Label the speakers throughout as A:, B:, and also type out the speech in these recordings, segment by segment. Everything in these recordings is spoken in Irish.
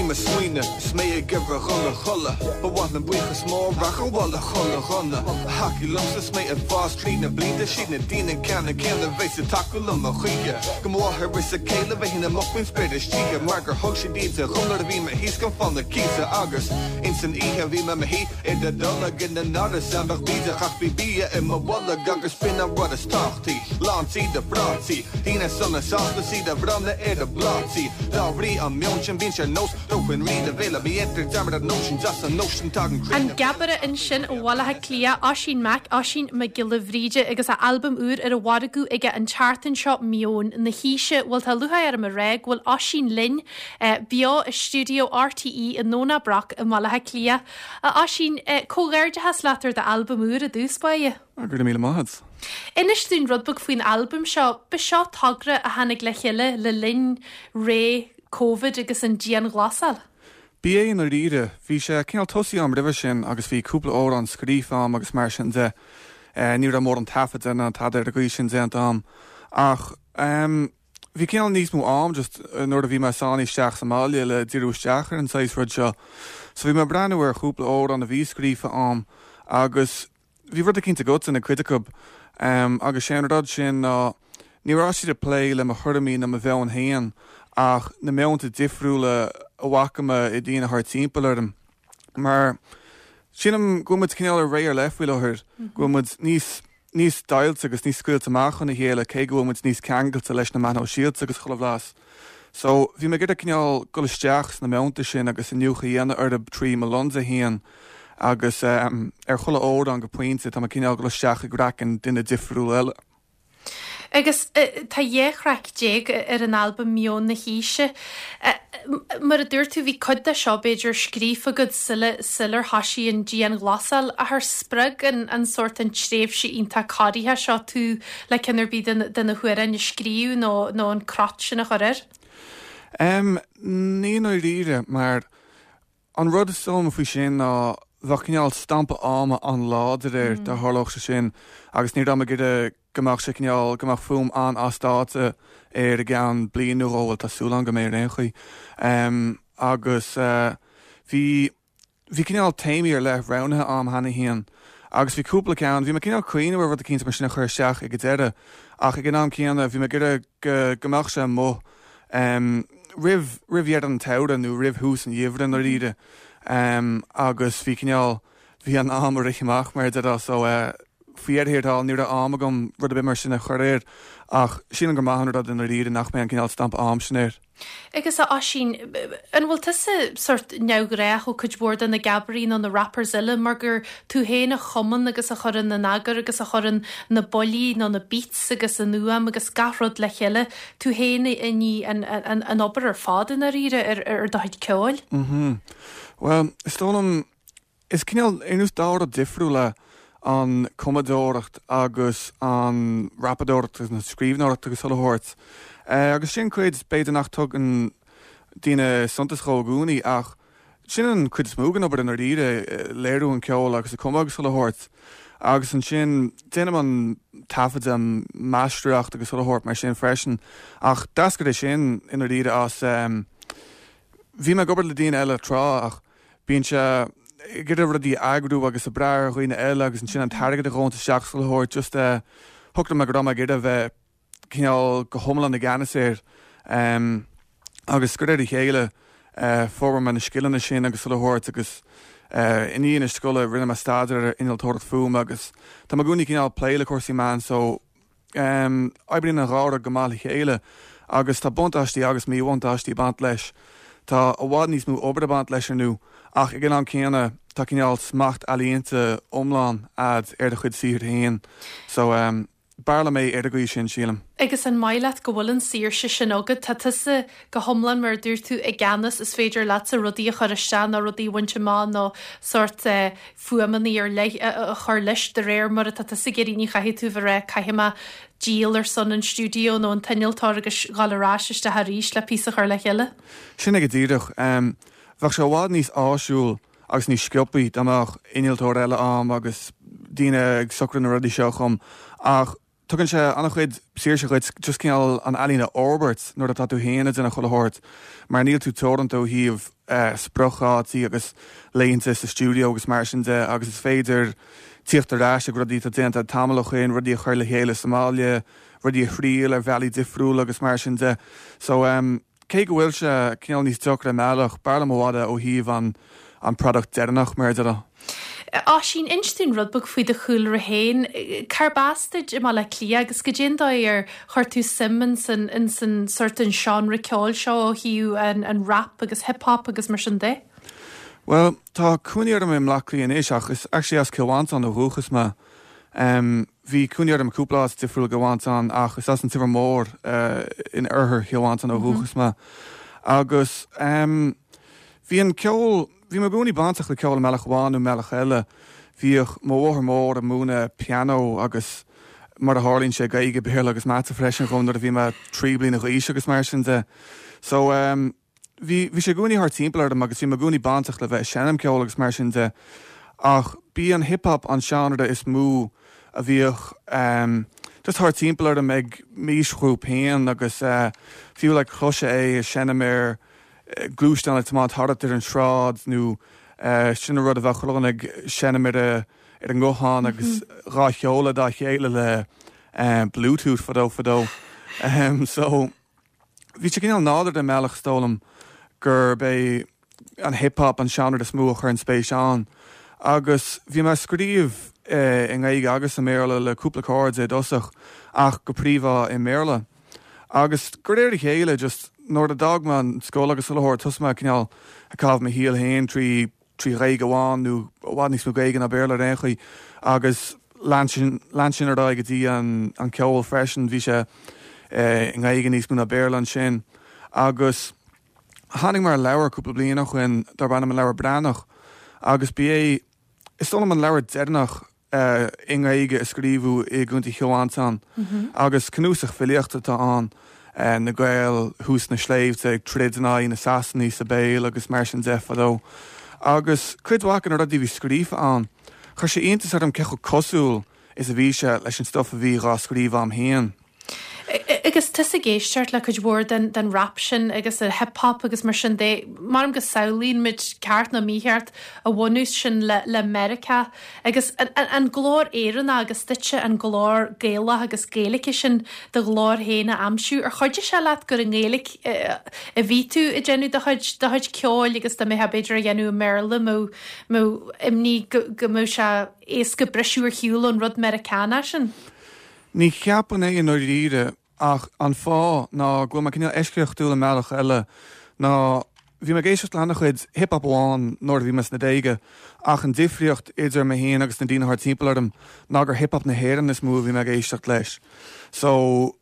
A: mo smaoineamh is mé ag iarraidh dhul a chodladh Ba mhaith liom buíochas mór a ghabháil le chuile dhuine a thacaigh liomsa is mé ag fás tríd na blianta Siad na daoine ceannann céanna a bheas ag tacú liom a choíche Go mo mháthair is a céile a bhíonn amuigh faoin spéir istoíche Mar gur thug siad íde dhom nuair a bhí mé thíos gan fonn cíosa Agus ins an oíche bhí mé mo shuí i d'fholg ina n-árasán beag bídeach Ach bhí bia i mo bholg agus b'in an rud is tábhachtaí Lán tí de phrátaí, daoine sona sásta is iad á bhronnadh ar a bplátaí Dá bhrí an meon sin bíonn sé ar nós dóthain rí de bhéile Ní dhéantar dearmad ar an nóisean deas an nóisean tagann croí
B: An
A: na
B: Gabaire ansin ó Bhaile Átha Cliath, Oisín Mac Oisín Mac Giolla Bhríde agus a albam úr ar an mhargadh aige an tseachtain seo, Meon na hAoise. Bhuel tá lúcháir orm a rá go bhfuil Oisín linn beo i stiúideo RTÉ i nDomhnach Broc i mBaile Átha Cliath. A Oisín, comhghairdeachas leat ar d'albam úr i dtús báire.
C: Go raibh míle maith agat.
B: Inis dúinn rud beag faoin albam seo. Ba seo togra a tháinig le chéile le linn ré Covid agus an dianghlasáil.
C: B'é i ndáiríre. Bhí sé cineál tosaithe a'm roimhe sin agus bhí cúpla amhrán scríofa a'm agus mar sin de. Ní raibh mórán taifeadta ná tada ar an gcaoi sin déanta a'm. Ach bhí cineál níos mó am just nuair a bhí mé sáinnithe isteach sa mbaile le díriú isteach ar an saghas rud seo. So bhí mé ag breathnú ar chúpla amhrán a bhí scríofa a'm agus Bhí rud eicínt agat ina cuid acu agus sé an rud sin ná ní raibh siad ag plé le mo thuairimí ná mo mheon féin ach na meonta difriúla a bhfaca mé i daoine thart timpeall orm. Mar sílim go bhfuil muid cineál i ré ar leith faoi láthair, go bhfuil muid níos níos deighilte agus níos scaoilte amach óna chéile cé go bhfuil muid níos ceangailte leis na meáin shóisialta agus chuile bhlas. So, bhí mé ag iarraidh cineál dul isteach sna meonta sin agus iniúchadh a dhéanamh orthu trí mo lionsa féin agus ar chuile amhrán go pointe tá mé cineál ag dul isteach i gcraiceann duine difriúil eile.
B: Agus tá 12 thraic ar an albam Meon na hAoise. Mar a dúirt tú, bhí cuid de seo b'fhéidir scríofa agat sular thoisigh an dianghlasáil. Ach ar spreag an sórt an tréimhse iontach corraitheach seo tú le ceann ar bith de na hamhráin a scríobh nó nó an crot sin a chur air?
C: Ní i ndáiríre, mar an rud is dóigh liom faoi sin ná bheadh cineál stampa ama an-láidir air dá tharlódh sé sin agus ní raibh mé ag iarraidh go mbeadh sé cineál, go mbeadh fuaim an-as dáta air i gceann bliain nó dhó, bhuel tá súil agam go mbeidh ar aon chaoi. Agus bhí, bhí cineál téamaí ar leith roghnaithe a'm cheana féin agus bhí cúpla ceann, bhí mé cineál cuimhneamh ar rud eicínt mar sin a chur isteach ag an deireadh ach ag an am céanna bhí mé ag iarraidh go, go mbeadh sé amuigh roimh, roimh dheireadh an tsamhraidh nó roimh thús an gheimhridh i ndáiríre agus bhí cineál, bhí an am ag rith amach mar a déarfá so faoi dheireadh thiar thall ní raibh am agam rud ar bith mar sin a chur air ach sílim gur maith an rud i ndáiríre nach mbeidh an cineál stampa am sin air.
B: Agus a Oisín, an bhfuil tusa sórt neamhghnách ó cuid mhór de na gabairí nó na rappers eile mar gur tú féin a chumann agus a chuireann in eagar agus a chuireann na buillí nó na beats agus an fhuaim agus gach rud le chéile, tú féin a ní an obair ar fad i ndáiríre ar do chuid ceoil?
C: Mhm. Bhuel, is dóigh liom Is cineál, ar nós dá rud difriúil é an cumadóireacht agus an rapadóireacht agus an scríbhneoireacht agus chuile shórt. Agus sin cuid, b'fhéidir nach dtugann daoine suntas dhó i gcónaí ach sin an cuid is mó den obair i ndáiríre, léiriú an ceoil agus an cumadh agus chuile shórt. Agus ansin déanaim an taifeadadh, an máistreacht agus chuile shórt mar sin freisin. Ach d'eascair é sin i ndáiríre as, bhí mé ag obair le daoine eile tráth ach, Bíonn sé ag iarraidh rudaí a eagrú agus ag brath ar dhaoine eile agus ansin an t-airgead a ghabhanns isteach is chuile shórt just eh shocraigh mé go raibh mé ag iarraidh a bheith cineál go hiomlán i gceannas air agus de réir a chéile eh d'fhorbair mé na scileanna sin agus chuile shórt agus eh i ndiaidh na scoile rinne mé staidéar ar innealtóireacht fuaime agus tá mé i gcónaí cineál plé le cúrsaí meán so Oibríonn an dhá rud go maith le chéile agus tá buntáistí agus míbhuntáistí ag baint leis. Tá i bhfad níos mó obair ag baint leis ar ndóigh ach ag an am céanna tá cineál smacht ealaíonta iomlán a'd ar do chuid saothair féin. So, b'fhearr liom é ar an gcaoi sin, sílim.
B: Agus an maith leat go bhfuil an saoirse sin agat? Tá tusa go hiomlán, mar a dúirt tú, i gceannas, is féidir leatsa rudaí a chur isteach nó rudaí a bhaint amach nó sórt fuaimeanna ar leith a chur leis de réir mar atá tusa ag iarraidh. Ní chaithfidh tú bheith ag rá 'caithfidh mé díol ar son an stiúideo nó an t-innealtóir agus dhul ar ais isteach arís le píosa a chur le chéile.
C: Sin é go díreach. Bheadh sé i bhfad níos áisiúil agus níos sciobthaí dá mbeadh innealtóir eile a'm agus daoine ag socrú na rudaí seo dhom ach. Tugann sé an-chuid saoirse dhuit just cineál an ealaín a fhorbairt nuair atá tú féin ag déanamh chuile shórt mar níl tú teoranta ó thaobh spriocdhátaí agus laethanta sa stiúideo agus mar sin de agus is féidir tíocht ar ais ag rudaí atá déanta tamall ó shin, rudaí a chur le chéile sa mbaile, rudaí a thriail ar bhealaí difriúla agus mar sin de. So cé go bhfuil sé cineál níos deacra i mbealach, b'fhearr liom i bhfad é ó thaobh an an product deireanach, mar a déarfá.
B: Oisín, inis dúinn rud beag faoi do chúlra féin. Cárb as duit i mBaile Átha Cliath agus goidé an dóigh ar chuir tú suim ins an ins an sórt an seánra ceoil seo ó thaobh an an rap agus hip hop agus mar sin de?
C: Bhuel, tá cónaí orm i mBleá Cliath anois ach is actually as Cill Mhantáin ó dhúchas mé. Bhí cónaí orm i cúpla áit difriúil i gCill Mhantáin ach is as an Teamhair Mór in oirthear Chill Mhantáin ó dhúchas mé. Agus bhí an ceol, bhí mé i gcónaí bainteach le ceol i mbealach amháin nó i mbealach eile. Bhíodh mo mháthair mhór ag múineadh pianó agus mar a tharlaíonn sé Gaeilge, Béarla agus Mata freisin dhom nuair a bhí mé 3 bliana d'aois agus mar sin de. So. Bhí, bhí sé i gcónaí thart timpeall orm agus bhí mé i gcónaí bainteach le bheith ag seinm ceoil agus mar sin de ach b'í an hip hop an seánra is mó a bhíodh ehm just thart timpeall orm ag m'aoisghrúpa féin agus eh fiú like chloisfeá é ag seinm ar gluaisteán ag tiomáint thart ar an sráid nó eh sin an rud a bheadh chuile dhuine ag seinm ar a ar a nguthán agus dhá sheoladh dá chéile le eh bluetooth fadó fadó ehm so Bhí sé cineál nádúrtha i mbealach is dóigh liom gurb é an hip hop an seánra is mó a chuir an spéis ann. Agus bhí mé ag scríobh i nGaeilge agus i mBéarla le cúpla cairde i dtosach ach go príomha i mBéarla. Agus de réir a chéile just nuair a d'fhág mé an scoil agus chuile shórt thosaigh mé cineál ag caitheamh mo shaoil féin trí 3 Ghaeilge amháin nó i bhfad níos mó Gaeilge ná Béarla ar aon chaoi agus lean sin lean sin ar aghaidh go dtí an an ceol freisin bhí sé i nGaeilge níos mó ná Béarla ansin agus tháinig mé ar leabhar cúpla bliain ó shoin darb ainm an Leabhar Breathnach agus ba é is dóigh liom an leabhar deireanach i nGaeilge a scríobhadh i gContae Chill Mhantáin agus cnuasach filíochta atá ann, na Gaeil thuas sna sléibhte ag troid in aghaidh na Sasanaigh sa Béal agus mar sin de fadó. Agus cuid mhaith de na rudaí a bhí scríofa ann, chuir sé iontas orm cé chomh cosúil is a bhí sé leis an stuif a bhí dhá scríobh a'm féin.
B: Agus tusa ag éisteacht le cuid mhór den den rap sin agus an hip hop agus mar sin de, measaim go samhlaíonn muid, ceart nó mícheart, a bhunús sin le le Meiriceá agus an an glór Éireannach agus duitse an glór Gaelach agus Gaeilge sin do ghlór féin a aimsiú. Ar chuidigh sé leat gur i nGaeilge a bhí tú ag déanamh do chuid do chuid ceoil agus dá mbeifeá b'fhéidir á dhéanamh i mBéarla mbeadh mbeadh imní go go mbeadh sé éasca briseadh ar shiúl ón rud Meiriceánach sin?
C: Ní cheapaim é i ndáiríre ach an fáth ná go bhfuil mé cineál eisceachtúil i mbealach eile ná bhí mé ag éisteacht le han-chuid hip hop amháin nuair a bhí mé sna déaga ach an difríocht idir mé féin agus na daoine thart timpeall orm ná gur hip hop na hÉireann is mó a bhí mé ag éisteacht leis. So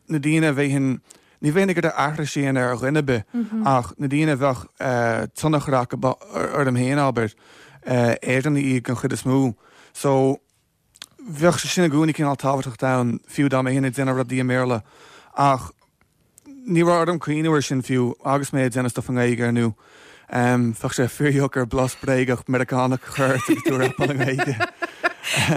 C: na daoine a bheinn, ní bheinn ag iarraidh aithris a dhéanamh ar dhuine ar bith ach na daoine a bheadh tionchar acu orm féin abair, Éireannaigh iad den chuid is mó. So. Bheadh sé sin i gcónaí cineál tábhachtach dom, fiú dá mbeinn ag déanamh rudaí i mBéarla. Ach ní raibh orm cuimhniú air sin fiú agus mé ag déanamh stuff i nGaeilge, ar ndú. Bheadh sé fíordheacair blas bréagach Meiriceánach a chur ort agus tú ag rapáil i
B: nGaeilge.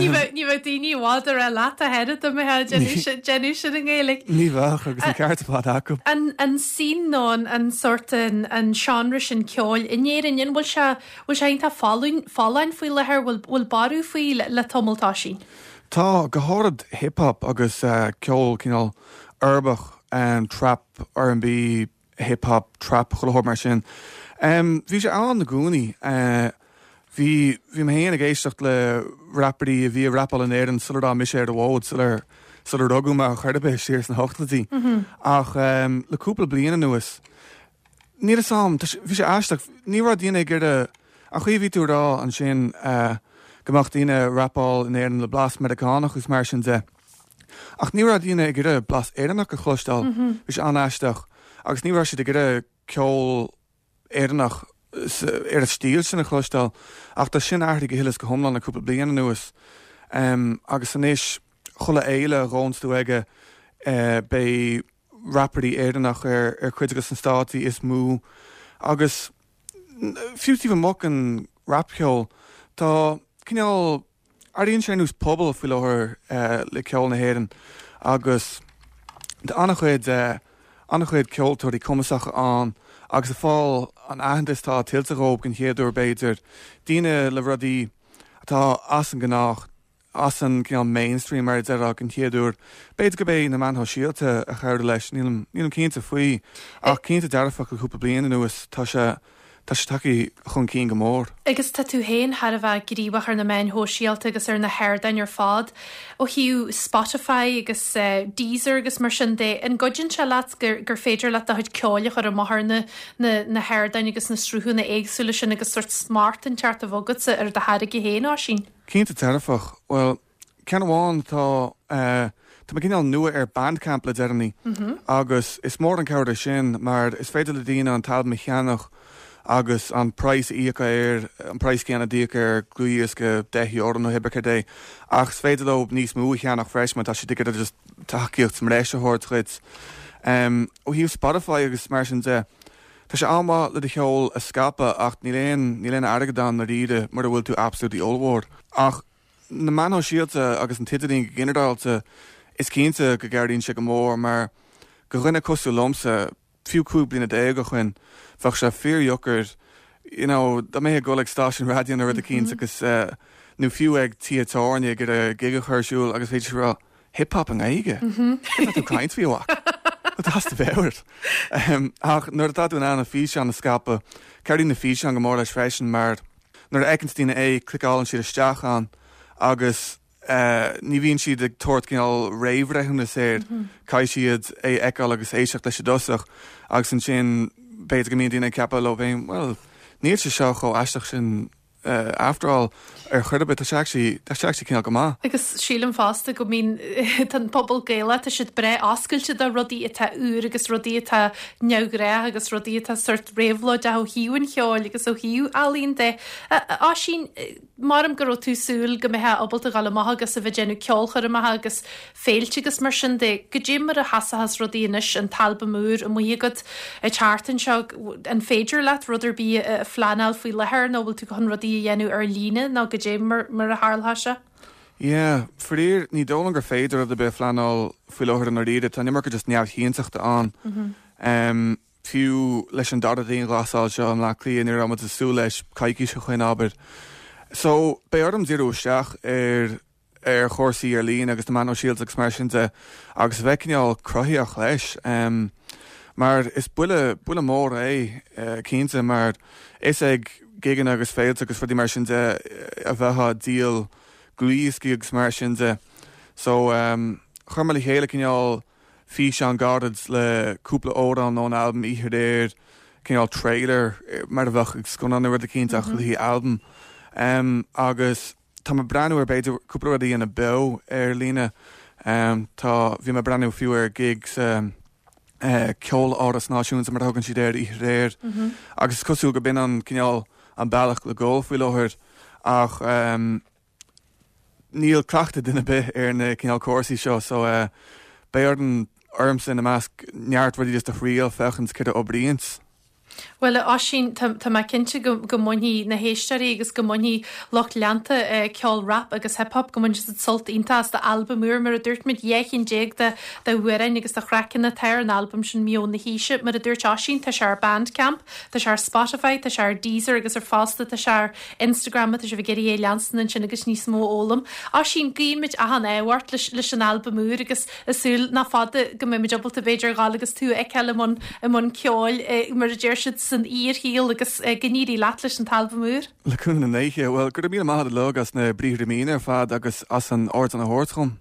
B: Ní bheadh ní bheadh daoine i bhfad ag rá leat ach oiread dá mbeifeá ag déanamh sin i nGaeilge.
C: Ní bheadh, agus an ceart ar fad acu.
B: An an scene nó an an sórt an an seánra sin ceoil in Éirinn, an bhfuil sé Bhfuil sé iontach folláin faoi láthair? Bhfuil borradh faoi le tamall, a Oisín?
C: Tá, go háirid hip hop agus ceol cineál uirbeach, trap, R&B, hip hop, trap, chuile shórt mar sin. Bhí sé ann i gcónaí. Bhí, bhí mé féin ag éisteacht le rapairí a bhí ag rapáil in Éirinn sula raibh mise ar an bhfód, sular, sular rugadh mé ar chor ar bith, siar sna hochtóidí. Ach le cúpla bliain anuas, Níl 'fhios a'm, tá sé, bhí sé aisteach, ní raibh daoine ag iarraidh, an chaoi a bhí tú ag rá ansin go mbeadh daoine ag rapáil in Éirinn le blas Meiriceánach agus mar sin de, ach ní raibh daoine ag iarraidh blas Éireannach a chloisteáil, bhí sé an-aisteach agus ní raibh siad ag iarraidh ceol Éireannach ar an stíl sin a chloisteáil ach tá sin athraithe go huile is go hiomlán le cúpla bliain anuas agus anois chuile fhéile a ghabhanns tú aige beidh rapairí Éireannach ar chuid de na stáitsí is mó agus fiú taobh amuigh den rapcheol tá cineál. Airíonn sé ar nós pobal faoi láthair le ceol na hÉireann agus tá an-chuid an-chuid ceoltóirí cumasacha ann agus ag fáil an aitheantas atá tuillte dhóibh den chéad uair b'fhéidir, daoine le rudaí atá as an ngnách, as an gcineál mainstream mar a déarfá den chéad uair. B'fhéidir gurb é na meáin shóisialta a chabhraigh leis, nílim nílim cinnte faoi ach cinnte dearfach le cúpla bliain anuas tá sé Tá sé tagtha chun cinn go mór.
B: Agus tá tú féin thar a bheith gníomhach ar na meáin shóisialta agus ar na hardáin ar fad. Ó thaobh Spotify agus Deezer agus mar sin de, an gcuidíonn sé leat gur gur féidir leat do chuid ceoil a chur amach ar na na na hardáin agus na sruthanna éagsúla sin agus sórt smacht inteacht a bheith agatsa ar do tháirge féin, Oisín?
C: Cinnte dearfach. Bhuel, Ceann amháin atá, tá mé cineál nua ar Bandcamp le deireanaí agus is mór an cabhair é sin mar is féidir le daoine an t-albam a cheannach agus an praghas a íoc air, an praghas céanna a d'íoc ar dhlúthdhiosca €10 nó hé bith céard é, ach is féidir leo níos mó a cheannach freisin má tá siad ag iarraidh just tacaíocht bhreise a thabhairt dhuit. Ó thaobh Spotify agus mar sin de, tá sé an-mhaith le do cheol a scaipeadh ach níl aon, níl aon airgead ann ndáiríre mura bhfuil tú absolutely ollmhór. Ach. Na meáin shóisialta agus an t-idirlíon go ginearálta, is cinnte go gcabhraíonn sé go mór mar do dhuine cosúil liomsa, fiú 15 bliana ó shoin, bheadh sé fíordheacair you know dá mbeifeá ag dul ag stáisiún raidió nó rud eicínt agus nó fiú ag tithe tábhairne ag iarraidh gig a chur ar siúl agus bheidís ag rá hip hop i nGaeilge? Cad tá tú ag caint faoi a mhac? Tá tú as do mheabhair. Ach nuair atá tú in ann an físeán a scaipeadh, cabhraíonn na físeáin go mór leis freisin mar Nuair a fheiceanns daoine é, cliceálann siad isteach ann agus ní bhíonn siad ag tabhairt cineál réamhbhreithiúnas air, caithfidh siad é a fheiceáil agus éisteacht leis i dtosach agus ansin b'fhéidir go mbíonn daoine ag ceapadh leo féin, bhuel, níl sé seo chomh aisteach sin after all ar chor ar bith, tá sé actually, tá sé actually cineál go maith.
B: Agus sílim fosta go mbíonn, tá an pobal Gaelach, tá siad breá oscailte do rudaí atá úr agus rudaí atá neamhghnách agus rudaí atá sórt réabhlóideach ó thaobh an cheoil agus ó thaobh ealaíon de. A Oisín, maram go raibh tú ag súil go mbeifeá ábalta dhul amach agus a bheith ag déanamh ceolchoirmeacha agus féilte agus mar sin de. Goidé mar a sheasfas rudaí anois, an t-albam úr amuigh agat ag teacht anseo, an féidir leat rud ar bith a phleanáil faoi láthair nó bhfuil tú chun rudaí a dhéanamh ar líne nó goidé mar mar a tharlóidh sé?
C: Yeah, faraor, ní dóigh liom gur féidir rud ar bith a phleanáil faoi láthair i ndáiríre, tá an iomarca just neamhchinnteachta ann. Fiú leis an dara dianghlasáil seo i mBleá Cliath, ní raibh muid ag súil leis coicís ó shoin, abair. So, beidh orm díriú isteach ar ar chúrsaí ar líne agus na meáin shóisialta agus mar sin de agus a bheith cineál cruthaitheach leis. Mar is buille, buille mór é, cinnte, mar is ag gigeanna agus féilte agus rudaí mar sin de a bheifeá ag díol dlúthdhioscaí agus mar sin de. So, chuir mé le chéile cineál físeán gairid le cúpla amhrán ón albam Oíche Aréir, cineál trailer mar a bheadh ag scannán nó rud eicínt ach le haghaidh albam. Agus tá mé ag breathnú ar b'fhéidir cúpla rud a dhéanamh beo ar líne. Tá, bhí mé ag breathnú fiú ar gig sa Ceoláras Náisiúnta mar a thugann siad air oíche aréir agus is cosúil go b'in an cineál an bealach le dhul faoi láthair ach Níl cleachtadh duine ar bith ar na cineál cúrsaí seo so beidh orainn, ormsa ina measc, neart rudaí just a thriail féachaint céard a oibríonns.
B: Bhuel, a Oisín, tá mé cinnte go mbainfidh na héisteoirí agus go mbainfidh lucht leanta ceol rap agus hip hop, go mbainfidh siad sult iontach as d'albam úr. Mar a dúirt muid, 12 chinn d'amhráin agus de thraiceanna atá ar an albam sin, Meon na hAoise. Mar a dúirt Oisín, tá sé ar Bandcamp, tá sé ar Spotify, tá sé ar Deezer agus ar fosta tá sé ar Instagram má tá sibh ag iarraidh é a leanstan ansin agus níos mó a fhoghlaim. Oisín, guíonn muid achan ádh ort leis leis an albam úr agus ag súil nach fada go mbeidh muid ábalta b'fhéidir a ghabháil agus tú a fheiceáil i mbun i mbun ceoil mar a deir siad san fhíorshaol agus go n-éirí leat leis an t-albam úr.
C: Le cúnamh na ndéithe. Bhuel, go raibh míle maith agat uilig as na briathra míne ar fad agus as an ardán a thabhairt dhom.